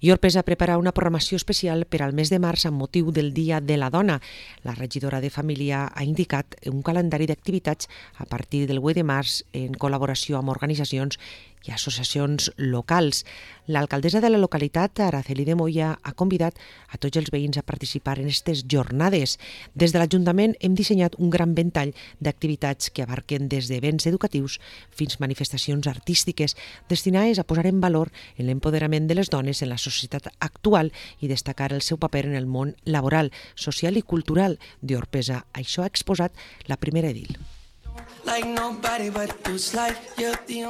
I Orpesa prepara una programació especial per al mes de març amb motiu del Dia de la Dona. La regidora de Família ha indicat un calendari d'activitats a partir del 8 de març en col·laboració amb organitzacions i associacions locals. L'alcaldessa de la localitat, Araceli de Moya, ha convidat a tots els veïns a participar en aquestes jornades. Des de l'Ajuntament hem dissenyat un gran ventall d'activitats que abarquen des d'events educatius fins manifestacions artístiques destinades a posar en valor l'empoderament de les dones en la societat actual i destacar el seu paper en el món laboral, social i cultural d'Orpesa. Això ha exposat la primera edil.